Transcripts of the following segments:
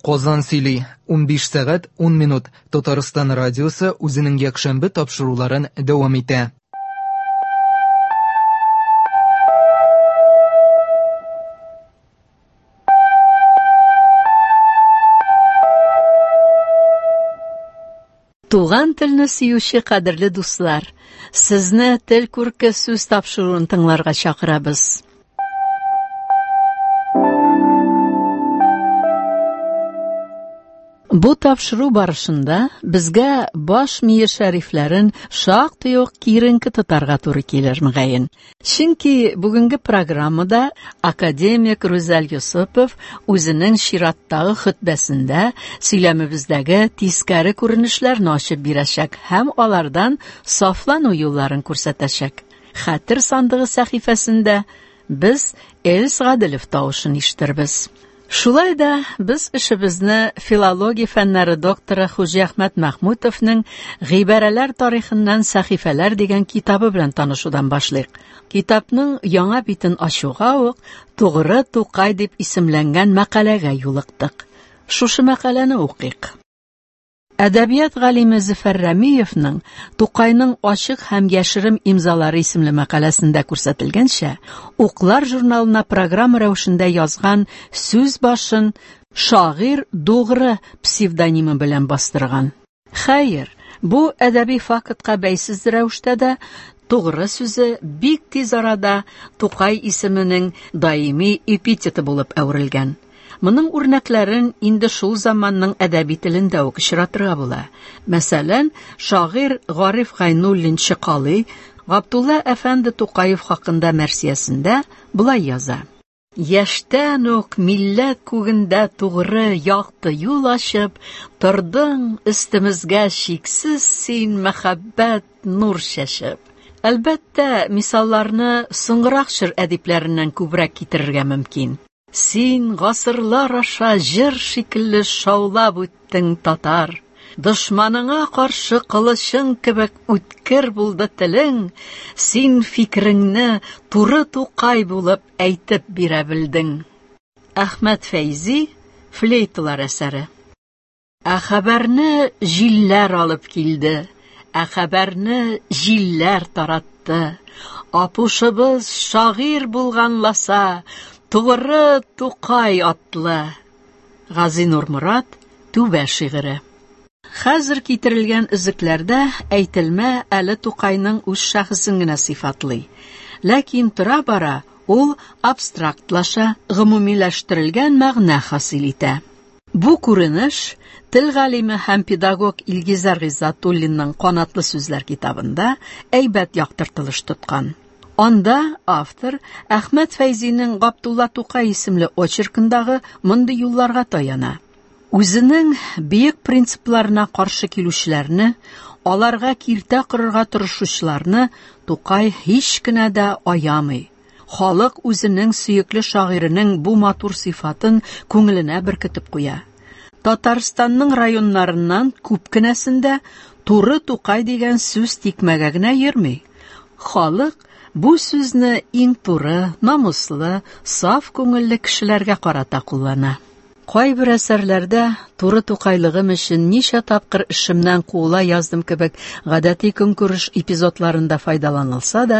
Казан сөйли, 15 сәгать 10 минут. Татарстан радиосы үзенең якшәмбе тапшыруларын дәвам итә. Туган телне сөюче кадерле дуслар, сезне Тел күрке сүз тапшыруын тыңларга чакырабыз. Бу тапшыру барышында безгә баш мие шәрифләрен шактый ук киеренке тотарга туры килер, мөгаен. Чөнки бүгенге программада академик Рүзәл Йосыпов үзенең чираттагы хөтбәсендә сөйләмебездәге тискәре күренешләрне ачып бирәчәк һәм алардан сафлану юлларын күрсәтәчәк. Хәтер сандыгы сәхифәсендә без Эльс Гаделев тавышын ишетербез. Шулай да без эшебезне филология фәннәре докторы Хуҗиәхмәт Мәхмүтовның Гыйбарәләр тарихыннан сәхифәләр дигән китабы белән танышудан башлыйк. Китапның яңа битен ачуга ук Тугры Тукай дип исемләнгән мәкаләгә юлыктык. Шушы мәкаләне укыйк. Әдәбият галиме Зөфәр Рәмиевның Тукайның ачык һәм яшерен имзалары исемле мәкаләсендә күрсәтелгәнчә, Уклар журналына программа рәвешендә язган сүз башын шагыйрь Дугры псевдонимы белән бастырган. Хәер, бу әдәби фактка бәйсез рәвештә дә Тугры сүзе бик тиз арада Тукай исеменең даими эпитеты булып әверелгән. Моның үрнәкләрен инде шул заманның әдәби телендә үк очратырга була. Мәсәлән, шагыйрь Гариф Гайнуллин Чыкалый Габдулла әфәнде Тукаев хакында мәрсиясендә болай яза: Яшьтән үк милләт күгендә тугры якты юл ачып, тордың өстемезгә чиксез син мәхәббәт нур чәчеп. Әлбәттә, мисалларны соңгырак чор әдипләреннән күбрәк китерергә мөмкин. Син гасырлар аша җыр шикелле шаулап үттең, татар. Дошманыңа каршы кылычың кебек үткер булды телең, син фикереңне туры Тукай булып әйтеп бирә белдең. Әхмәт Фәйзи, Флейталар әсәре. Ә хәбәрне җилләр алып килде, ә хәбәрне җилләр таратты. Апушыбыз шагыйрь булганласа, тугры Тукай атлы. Газинур Морат, Түбә шигыре. Хәзер китерелгән өзекләрдә әйтелмә әле Тукайның үз шәхесен генә сыйфатлый. Ләкин тора-бара ул абстрактлаша, гомумиләштерелгән мәгънә хасил итә. Бу күренеш тел галиме һәм педагог Илгизәр Гыйззәтуллинның Канатлы сүзләр китабында әйбәт яктыртылыш тоткан. Анда автор Әхмәт Фәйзинең Габдулла Тукай исемле очеркындагы мондый юлларга таяна. Үзенең бөек принципларына каршы килүчеләрне, аларга киртә корырга тырышучыларны Тукай һич кенә дә аямый. Халык үзенең сөекле шагыйренең бу матур сыйфатын күңеленә беркетеп куя. Татарстанның районнарыннан күп кенәсендә туры Тукай дигән сүз тикмәгә генә йөрми. Халык бу сүзне иң туры, намуслы, саф күңелле кешеләргә карата куллана. Кайбер әсәрләрдә туры Тукайлыгым өчен ничә тапкыр эшемнән куыла яздым кебек гадәти көнкүреш эпизодларында файдаланылса да,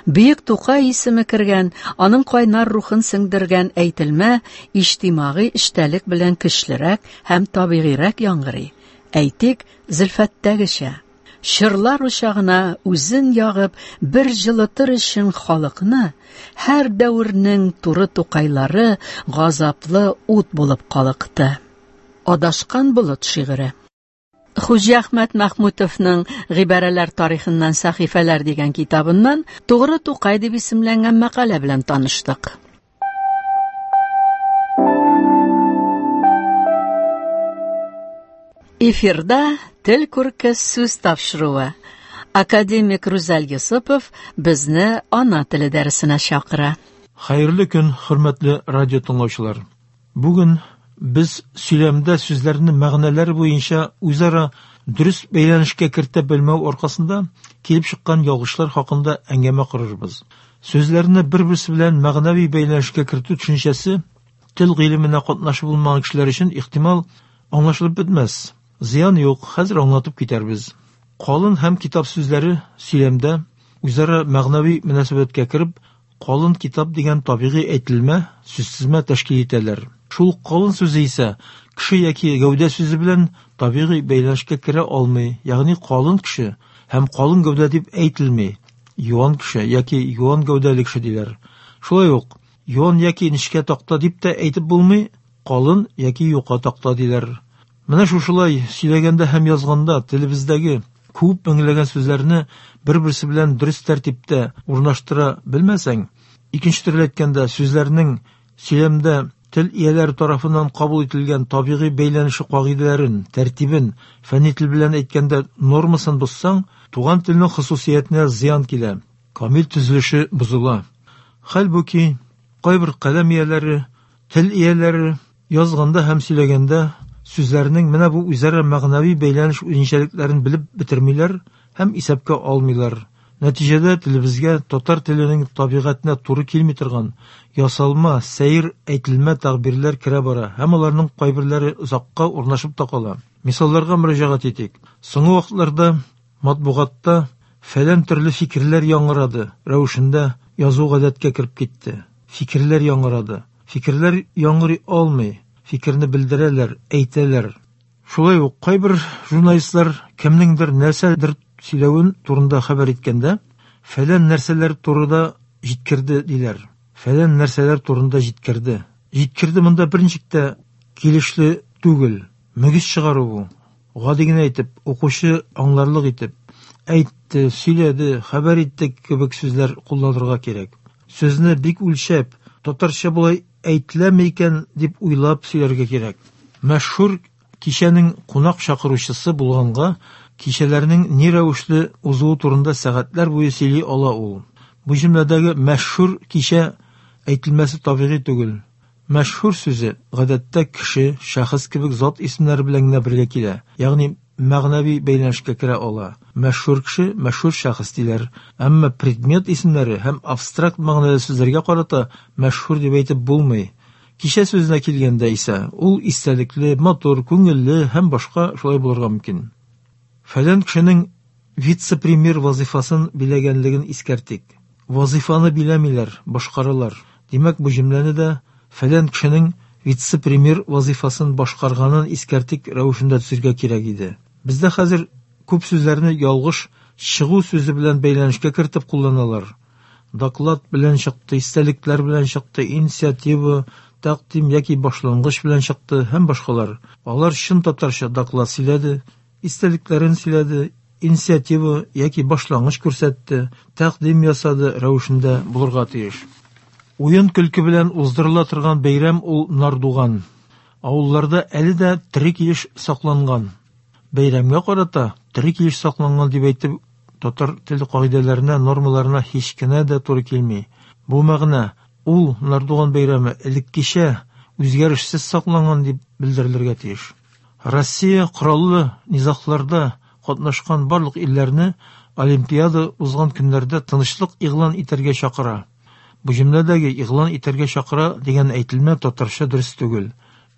бөек Тукай исеме кергән, аның кайнар рухын сеңдергән әйтелмә иҗтимагый эчтәлек белән көчлерәк һәм табигыйрәк яңгырый. Әйтик, Зөлфәттәгечә. Чырлар учагына үзен ягып, бер җылытыр өчен халыкны, һәр дәвернең туры Тукайлары газаплы ут булып калыкты. Адашкан болыт шигыре. Хуҗиәхмәт Мәхмүтовның Гыйбарәләр тарихыннан сәхифәләр дигән китабыннан Тугры Тукай дип исемләнгән мәкалә белән таныштык. Эфирда Тел күрке сүз тапшыруы. Академик Рүзәл Йосыпов безне ана теле дәресенә чакыра. Хәерле көн, хөрмәтле радио тыңлаучылар. Бүген без сөйләмдә сүзләрне мәгънәләр буенча үзара дөрес бәйләнешкә кертә белмәү аркасында килеп чыккан ялгышлар хакында әңгәмә корырбыз. Сүзләрне бер-берсе белән мәгънәви бәйләнешкә кертү төшенчәсе Тел гыйлеменә катнашы булмаган кешеләр өчен, ихтимал, аңлашылып бетмәс. Зыян юк, хәзер аңлатып китәрбез. Калын һәм китап сүзләре сөйләмдә үзара мәгънәви мөнәсәбәткә кереп, калын китап дигән табигый әйтелмә, сүзтезмә тәшкил итәләр. Шул калын сүзе исә кеше яки гәүдә сүзе белән табигый бәйләнешкә керә алмый, ягъни калын кеше һәм калын гәүдә дип әйтелми. Юан кеше яки юан гәүдәле кеше диләр. Шулай ук юан яки нечкә такта дип тә әйтеп булмый, калын яки юка такта диләр. Менә шушылай сөйләгәндә һәм язганда телебездәге күп меңләгән сүзләрне бер-берсе белән дөрес тәртиптә урнаштыра белмәсәң, икенче төрле әйткәндә, сүзләрнең сөйләмдә тел ияләре тарафыннан кабул ителгән табигый бәйләнеше кагыйдәләрен, тәртибен, фәнни тел белән әйткәндә нормасын бозсаң, туган телнең хосусиятенә зыян килә, камил төзелеше бозыла. Хәлбуки, кайбер каләм ияләре, тел ияләре язганда һәм сөйләгәндә сүзләрнең менә бу үзара мәгънәви бәйләнеш үзенчәлекләрен белеп бетермиләр һәм исәпкә алмыйлар. Нәтиҗәдә телебезгә татар теленең табигатенә туры килми торган ясалма, сәер әйтелмә тәгъбирләр керә бара һәм аларның кайберләре озакка урнашып та кала. Мисалларга мөрәҗәгать итик. Соңгы вакытларда матбугатта фәлән төрле фикерләр яңгырады рәвешендә язу гадәткә кереп китте. Фикерләр яңгырады. Фикерләр яңгырый алмый, фикерне белдерәләр, әйтәләр. Шулай ук кайбер журналистлар кемнеңдер нәрсәдер сөйләвен турында хәбәр иткәндә, фәлән нәрсәләр турында җиткерде диләр. Фәлән нәрсәләр турында җиткерде. Җиткерде монда берничек тә килешле түгел. Мөгез чыгару бу. Гади генә итеп, укучы аңларлык итеп, әйтте, сөйләде, хәбәр итте кебек сүзләр кулланырга кирәк. Сүзне бик үлчәп, татарча болай әйтеләме икән дип уйлап сөйләргә кирәк. Мәшһүр кичәнең кунак чакыручысы булганга, кичәләрнең ни рәвешле узуы турында сәгатьләр буе сөйли ала ул. Бу җөмләдәге мәшһүр кичә әйтелмәсе табигый түгел. Мәшһүр сүзе гадәттә кеше, шәхес кебек зат исемнәре белән генә бергә килә, ягъни мәгънәви бәйләнешкә керә ала. Мәшһүр кеше, мәшһүр шәхес диләр. Әмма предмет исемнәре һәм абстракт мәгънәле сүзләргә карата мәшһүр дип әйтеп булмый. Кичә сүзенә килгәндә исә, ул истәлекле, матур, күңелле һәм башка шулай булырга мөмкин. Фәлән кешенең вице-премьер вазыйфасын биләгәнлеген искәртик. Вазыйфаны биләмиләр, башкаралар. Димәк, бу җөмләне дә фәлән кешенең вице-премьер вазыйфасын башкарганын искәртик рәвешендә төзергә кирәк иде. Бездә хәзер күп сүзләрне ялгыш чыгу сүзе белән бәйләнешкә кертеп кулланалар. Доклад белән чыкты, истәлекләр белән чыкты, инициатива, тәкъдим яки башлангыч белән чыкты һәм башкалар. Алар чын татарча доклад сөйләде, истәлекләрен сөйләде, инициатива яки башлангыч күрсәтте, тәкъдим ясады рәвешендә булырга тиеш. Уен көлке белән уздырыла торган бәйрәм ул Нардуган. Авылларда әле дә тере килеш сакланган. Бәйрәмгә карата тере килеш сакланган дип әйтеп, татар теле кагыйдәләренә, нормаларына һич кенә дә туры килми. Бу мәгънә ул Нардуган бәйрәме элеккечә үзгәрешсез сакланган дип белдерелергә тиеш. Россия кораллы низагларда катнашкан барлык илләрне Олимпиада узган көннәрдә тынычлык игълан итәргә чакыра. Бу җөмләдәге игълан итәргә чакыра дигән әйтелмә татарча дөрес түгел.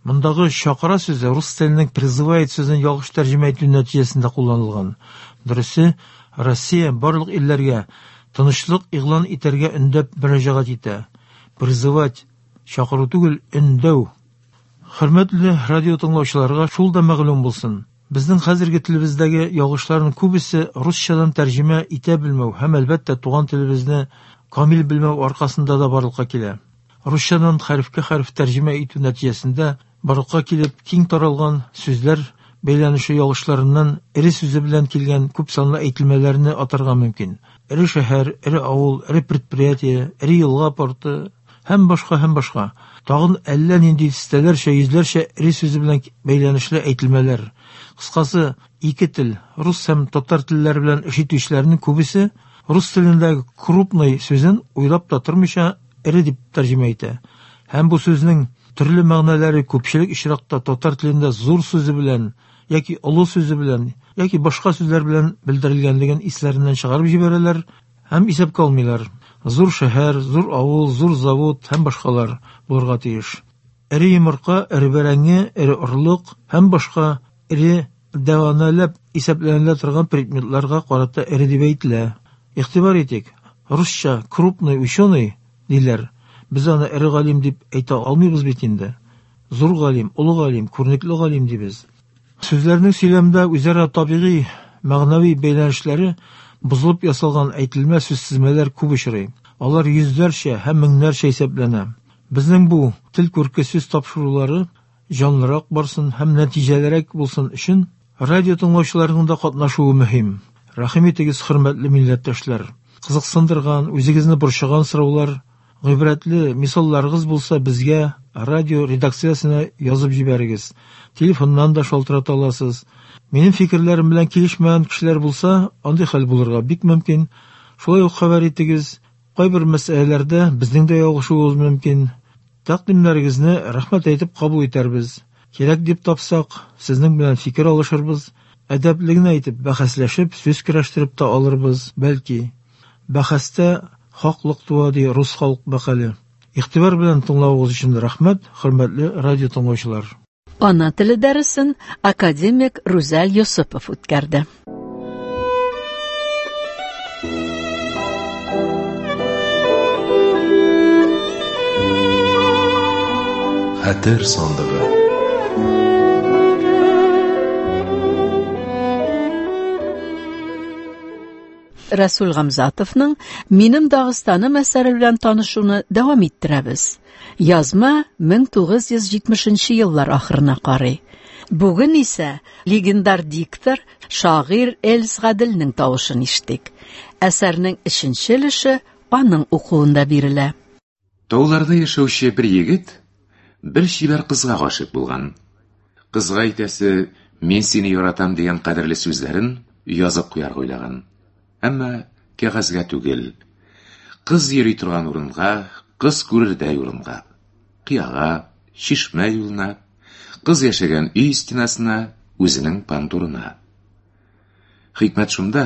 Мондагы чакыра сүзе рус теленең призывает сүзен ялгыш тәрҗемә итү нәтиҗәсендә кулланылган. Дөресе, Россия барлык илләргә тынычлык игълан итәргә өндәп мөрәҗәгать итә. Призывать чакыру түгел, өндәү. Хөрмәтле радио тыңлаучыларга шул да мәгълүм булсын. Безнең хәзерге телебездәге ялгышларның күбесе русчадан тәрҗемә итә белмәү һәм әлбәттә туган телебезне камил белмәү аркасында да барлыкка килә. Русчадан хәрефкә хәреф тәрҗемә итү нәтиҗәсендә барлыкка килеп киң таралган сүзләр бәйләнеше ялгышларыннан эре сүзе белән килгән күп санлы әйтелмәләрне атарга мөмкин. Эре шәһәр, эре авыл, эре предприятие, эре елга порты һәм башка һәм башка. Тагын әллә нинди дистәләрчә, йөзләрчә эре сүзе белән бәйләнешле әйтелмәләр. Кыскасы, ике тел, рус һәм татар телләре белән эш итүчеләрнең күбесе рус телендәге крупный сүзен уйлап та тормыйча эре дип тәрҗемә итә. Һәм бу сүзнең төрле мәгънәләре күпчелек очракта татар телендә зур сүзе белән яки олы сүзе белән яки башка сүзләр белән белдерелгәнлеген исләреннән чыгарып җибәрәләр һәм исәпкә алмыйлар. Зур шәһәр, зур авыл, зур завод һәм башкалар булырга тиеш. Эре йомырка, эре бәрәңге, эре орлык һәм башка эре дәваналәп исәпләнелә торган предметларга карата эре дип әйтелә. Игътибар итик, русча крупный ученый диләр. Без аны эре галим дип әйтә алмыйбыз бит инде. Зур галим, олы галим, күренекле галим дибез. Сүзләрнең сөйләмдә үзара табигый, мәгънәви бәйләнешләре бозылып ясалган әйтелмә сүзтезмәләр күп очрый. Алар йөзләрчә һәм меңнәрчә исәпләнә. Безнең бу тел күрке сүз тапшырулары җанлырак барсын һәм нәтиҗәлерәк булсын өчен радио тыңлаучыларның да катнашуы мөһим. Рәхим итегез, хөрмәтле милләттәшләр. Кызыксындырган, үзегезне борчыган сораулар, гыйбрәтле мисалларыгыз булса, безгә радио редакциясенә язып җибәрегез. Телефоннан да шалтырата аласыз. Минем фикерләрем белән килешмәгән кешеләр булса, андый хәл булырга бик мөмкин. Шулай ук хәбәр итегез. Кайбер мәсьәләләрдә безнең дә ялгышуыбыз мөмкин. Тәкъдимнәрегезне рәхмәт әйтеп кабул итәрбез. Кирәк дип тапсак, сезнең белән фикер алышырбыз. Әдәпле генә итеп бәхәсләшеп, сүз көрәштереп тә алырбыз, бәлки. Бәхәстә хаклык туа, ди рус халык мәкале. Игътибар белән тыңлавыгыз өчен рәхмәт, хөрмәтле радио тыңлаучылар. Ана теле дәресен академик Рүзәл Йосыпов үткәрде. Хәтер сандыгы. Рәсүл Гамзатовның Минем Дагыстаным әсәре белән танышуны дәвам иттерәбез. Язма 1970 еллар ахырына карый. Бүген исә легендар диктор, шагыйрь Эльс Гаделнең тавышын ишеттек. Әсәрнең өченче өлеше аның укуында бирелә. Тауларда яшәүче бер егет бер чибәр кызга гашыйк булган. Кызга әйтәсе, мин сине яратам дигән кадерле сүзләрен язып куярга уйлаган. Әмма кәгазьгә түгел. Кыз йөри торган урынга, кыз күрердәй урынга. Кыяга, чишмә юлына, кыз яшәгән өй стенасына, үзенең пандурына. Хикмәт шунда,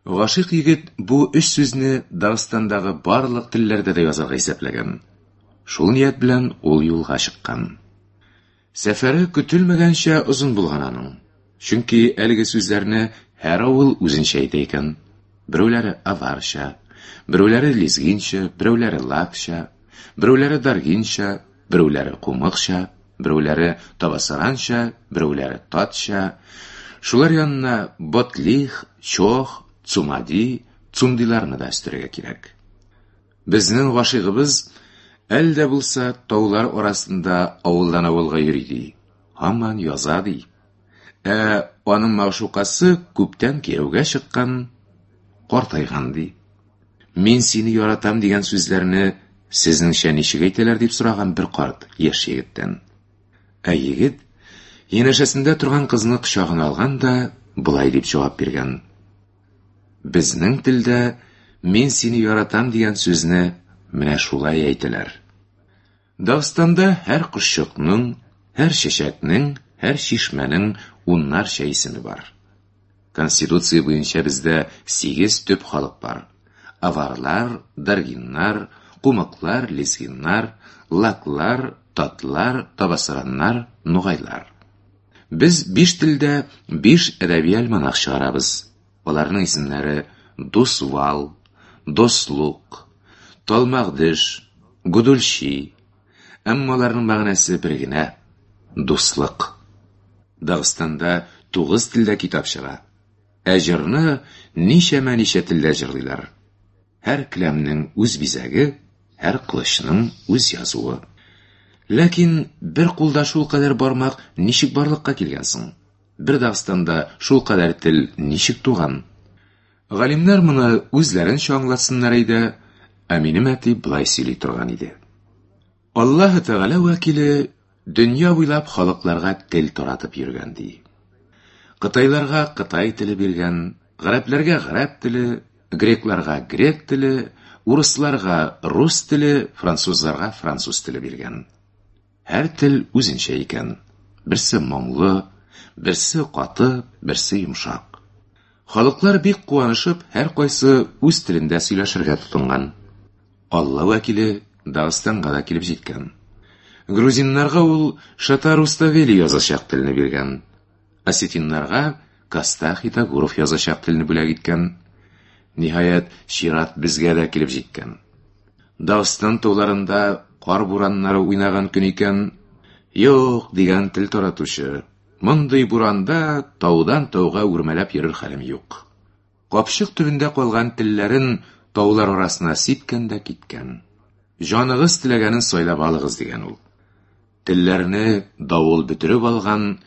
гашыйк егет бу өч сүзне Дагыстандагы барлык телләрдә дә язарга исәпләгән. Шул ният белән ул юлга чыккан. Сәфәре көтелмәгәнчә озын булган аның. Чөнки әлеге сүзләрне һәр авыл үзенчә әйтә икән. Берәүләре аварча, берәүләре лезгинча, берәүләре лакча, берәүләре даргинча, берәүләре кумыкча, берәүләре табасаранча, берәүләре татча. Шулар янына ботлих, чох, цумади, цумдиларны да өстәргә кирәк. Безнең гашыйгыбыз әле дә булса таулар арасында авылдан авылга йөри ди. Һаман яза ди. Ә аның мәгъшукасы күптән кияүгә чыккан, картайган ди. Мин сине яратам дигән сүзләрне сезнеңчә ничек әйтәләр дип сораган бер карт яшь егеттән. Ә егет янәшәсендә торган кызны кочагына алган да болай дип җавап биргән. Безнең телдә мин сине яратам дигән сүзне менә шулай әйтәләр. Дагыстанда һәр кошчыкның, һәр чәчәкнең, һәр чишмәнең уннарча исеме бар. Конституция буенча бездә 8 төп халык бар. Аварлар, даргиннар, кумыклар, лезгиннар, лаклар, татлар, табасараннар, нугайлар. Без 5 телдә 5 әдәби альманах чыгарабыз. Аларның исемнәре Дусвал, Дослук, Талмагдыш, Гудульчи. Әмма аларның мәгънәсе бер генә дуслык. Дагыстанда 9 телдә китап чыга. Ә җырны ничәмә-ничә телдә җырлыйлар. Һәр келәмнең үз бизәге, һәр кылычның үз язуы. Ләкин бер кулда шул кадәр бармак ничек барлыкка килгән соң? Бер Дагыстанда шул кадәр тел ничек туган? Галимнәр моны үзләренчә аңлатсыннар иде, ә минем әти болай сөйли торган иде. Аллаһы Тәгалә вәкиле дөнья буйлап халыкларга тел таратып йөргән ди. Кытайларга кытай теле биргән, гарәпләргә гарәп теле, грекларга грек теле, урысларга рус теле, французларга француз теле биргән. Һәр тел үзенчә икән. Берсе моңлы, берсе каты, берсе йомшак. Халыклар бик куанышып, һәр кайсы үз телендә сөйләшергә тотынган. Алла вәкиле Дагыстанга да килеп җиткән. Грузиннарга ул Шота Руставели язачак телне биргән. Осетиннарга Костах Итагуров язачак телне бүләк иткән. Ниһаять, чират безгә дә килеп җиткән. Дагыстан тауларында кар бураннары уйнаган көн икән. Юк, дигән тел таратучы. Мондый буранда таудан тауга үрмәләп йөрер хәлем юк. Капчык төбендә калган телләрен таулар арасына сипкән дә киткән. Җаныгыз теләгәнен сайлап алыгыз, дигән ул. Телләрне давыл бөтереп алган,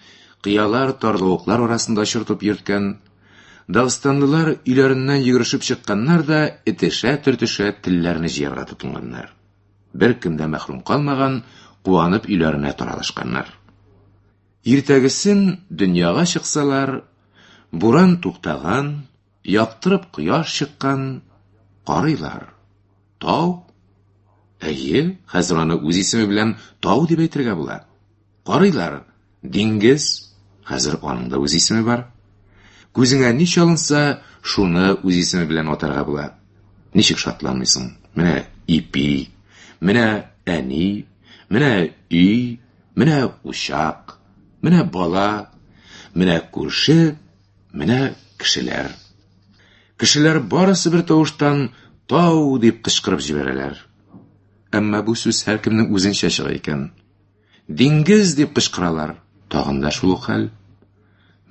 кыялар, тарлавыклар арасында очыртып йөрткән. Дагыстанлылар өйләреннән йөгерешеп чыкканнар да этешә-төртешә телләрне җыярга тотынганнар. Беркем дә мәхрүм калмаган, куанып өйләренә таралышканнар. Иртәгесен дөньяга чыксалар, буран туктаган, яктырып кояш чыккан, карыйлар. Тау? Әйе, хәзер аны үз исеме белән тау дип әйтергә була. Карыйлар, диңгез, хәзер аның да үз исеме бар. Күзеңә ни чалынса, шуны үз исеме белән атарга була. Ничек шатланмыйсың? Менә ипи, менә әни, менә өй, менә учак, менә бала, менә күрше, менә кешеләр. Кешеләр барысы бер тавыштан тау дип кычкырып җибәрәләр. Әмма бу сүз һәркемнең үзенчә чыга икән. Диңгез дип кычкыралар. Тагын да шул ук хәл.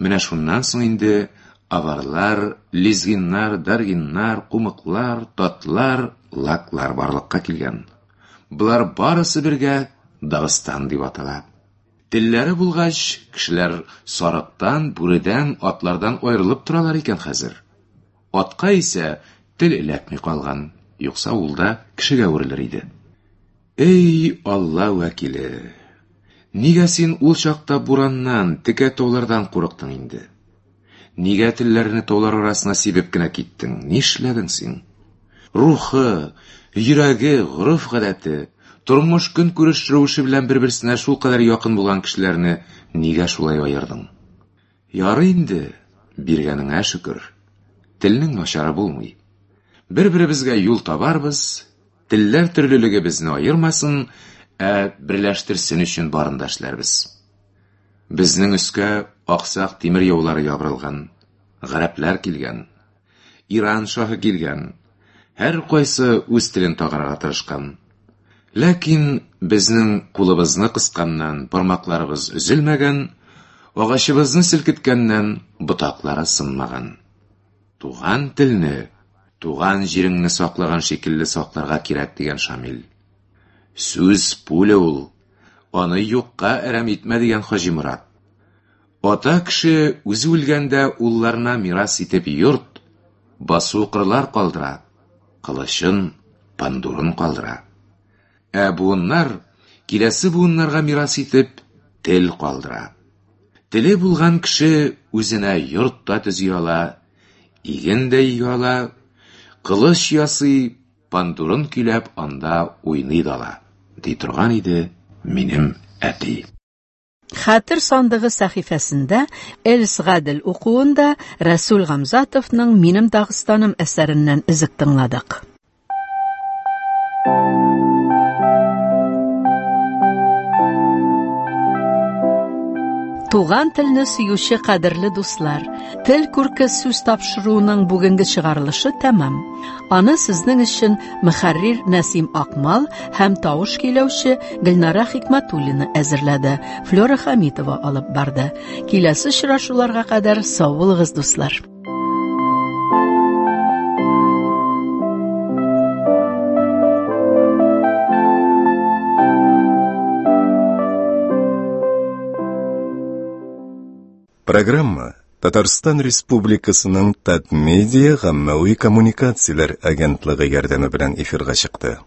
Менә шуннан соң инде аварлар, лезгиннар, даргиннар, кумыклар, татлар, лаклар барлыкка килгән. Болар барысы бергә Дагыстан дип атала. Телләре булгач, кешеләр сарыктан, бүредән, атлардан аерылып торалар икән хәзер. Атка исә тел эләкми калган, юкса ул да кешегә әверелер иде. Эй, Алла вәкиле! Нигә син ул чакта бураннан, текә таулардан курыктың инде? Нигә телләрне таулар арасына сибеп кенә киттең? Нишләдең син? Рухы, йөрәге, гореф-гадәте, тормыш-көнкүреш рәвеше белән бер-берсенә шулкадәр якын булган кешеләрне нигә шулай аердың? Ярый инде, биргәнеңә шөкер. Телнең начары булмый. Бер-беребезгә юл табарбыз, телләр төрлелеге безне аермасын, ә берләштерсен өчен барын да эшләрбез. Безнең өскә аксак тимер яулары ябырылган, гарәпләр килгән, Иран шаһы килгән, һәркайсы үз телен тагарга тырышкан. Ләкин безнең кулыбызны кысканнан бармакларыбыз өзелмәгән, агачыбызны селкеткәннән ботаклары сынмаган. Туган телне, туган җиреңне саклаган шикелле сакларга кирәк, дигән Шамил. Сүз пуля ул, аны юкка әрәм итмә, дигән Хаҗи Морат. Ата кеше үзе үлгәндә улларына мирас итеп йорт, басу-кырлар калдыра, кылычын, пандурын калдыра. Ә буыннар киләсе буыннарга мирас итеп тел калдыра. Теле булган кеше үзенә йорт та төзи ала, иген дә игә ала, кылыч ясый, пандурын көйләп анда уйный да ала, ди торган иде минем әти. Хәтер сандыгы сәхифәсендә Эльс Гадел укуында Рәсүл Гамзатовның Минем Дагыстаным әсәреннән өзек тыңладык. Туган телне сөюче кадерле дуслар, Тел күрке сүз тапшыруының бүгенге чыгарылышы тәмам. Аны сезнең өчен мөхәррир Нәсим Акмал һәм тавыш көйләүче Гөлнара Хикмәтуллина әзерләде. Флера Хамитова алып барды. Киләсе очрашуларга кадәр сау булыгыз, дуслар. Программа Татарстан Республикасының Татмедиа гаммәви коммуникацияләр агентлыгы ярдәме белән эфирга чыкты.